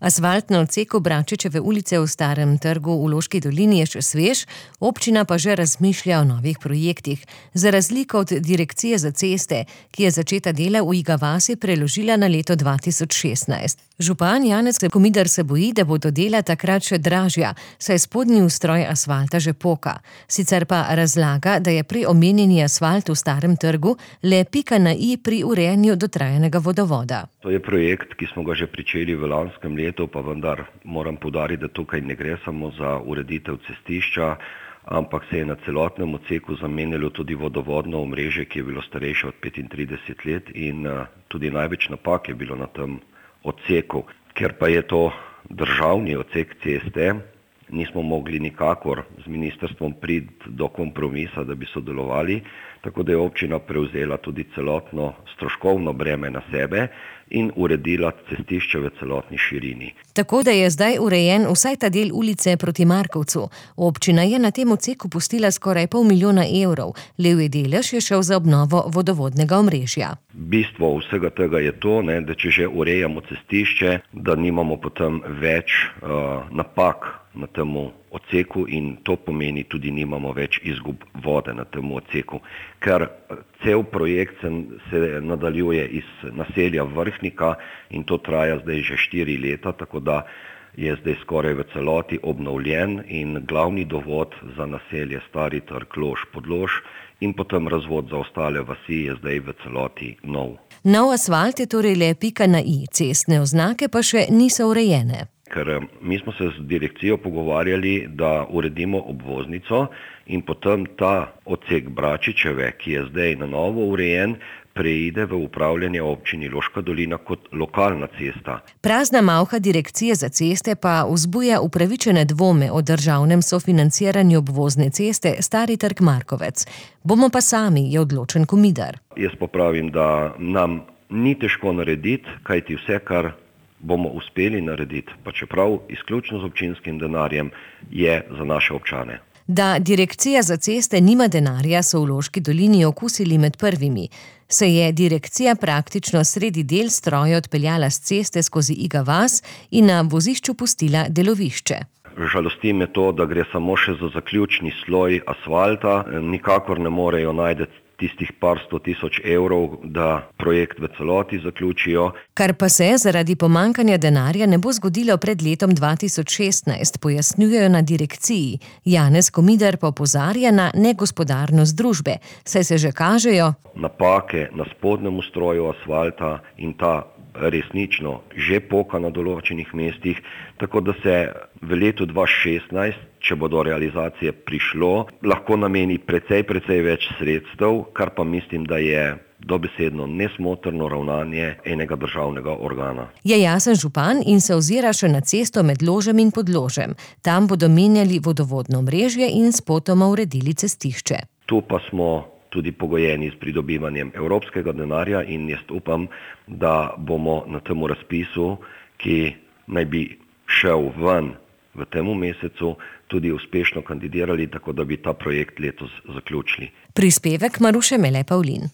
Asfalt na odseku Bračičeve ulice v Starem trgu v Loški dolini je še svež, občina pa že razmišlja o novih projektih. Za razliko od Direkcije za ceste, ki je začeta dela v Iga vasi preložila na leto 2016. Župan Janez Komidar se boji, da bodo dela takrat še dražja, saj spodnji ustroj asfalta že poka. Sicer pa razlaga, da je prej omenjeni asfalt v Starem trgu le pika na i pri urejanju dotrajanega vodovoda. To je projekt, ki smo ga že pričeli v lanskem letu, pa vendar moram poudariti, da tukaj ne gre samo za ureditev cestišča, ampak se je na celotnem odseku zamenjalo tudi vodovodno omrežje, ki je bilo starejše od 35 let in tudi največ napak je bilo na tem odseku. Ker pa je to državni odsek ceste, nismo mogli nikakor z ministrstvom priti do kompromisa, da bi sodelovali, tako da je občina prevzela tudi celotno stroškovno breme na sebe in uredila cestišče v celotni širini. Tako da je zdaj urejen vsaj ta del ulice proti Markovcu. Občina je na tem odseku pustila skoraj 500 000 evrov. Levji delež je šel za obnovo vodovodnega omrežja. Bistvo vsega tega je to, da če že urejamo cestišče, da nimamo potem več napak na tem odseku in to pomeni tudi nimamo več izgub vode na tem odseku. Ker cel projekt se nadaljuje iz naselja Vrhnika in to traja zdaj že 4 leta, tako da je zdaj skoraj v celoti obnovljen in glavni dovod za naselje Stari trg, Lož, Podlož in potem razvod za ostale vasi je zdaj v celoti nov. Nov asfalt je torej le pika na i, cestne oznake pa še niso urejene. Ker mi smo se z direkcijo pogovarjali, da uredimo obvoznico in potem ta odsek Bračičeve, ki je zdaj na novo urejen, preide v upravljanje občini Loška dolina kot lokalna cesta. Prazna malha Direkcije za ceste pa vzbuja upravičene dvome o državnem sofinanciranju obvozne ceste Stari trg Markovec. Bomo pa sami, je odločen Komidar. Jaz pa pravim, da nam ni težko narediti, kajti vse, kar bomo uspeli narediti, pa čeprav izključno z občinskim denarjem, je za naše občane. Da Direkcija za ceste nima denarja, so v Loški dolini okusili med prvimi. Se je direkcija praktično sredi del stroja odpeljala s ceste skozi Iga vas in na vozišču pustila delovišče. Žalosti me to, da gre samo še za zaključni sloj asfalta, nikakor ne morejo najti tistih par 100 000 evrov, da projekt v celoti zaključijo. Kar pa se zaradi pomankanja denarja ne bo zgodilo pred letom 2016, pojasnjujejo na direkciji. Janez Komidar pa opozarja na negospodarnost družbe, saj se že kažejo napake na spodnjem ustroju asfalta in ta resnično že poka na določenih mestih, tako da se v letu 2016, če bo do realizacije prišlo, lahko nameni precej več sredstev, kar pa mislim, da je dobesedno nesmotrno ravnanje enega državnega organa. Je jasen župan in se ozira še na cesto med Ložem in Podložem. Tam bodo menjali vodovodno mrežje in spotoma uredili cestišče. Tu pa smo tudi pogojeni s pridobivanjem evropskega denarja in jaz upam, da bomo na tem razpisu, ki naj bi šel ven v tem mesecu, tudi uspešno kandidirali, tako da bi ta projekt letos zaključili. Prispevek Maruše Mele Pavlin.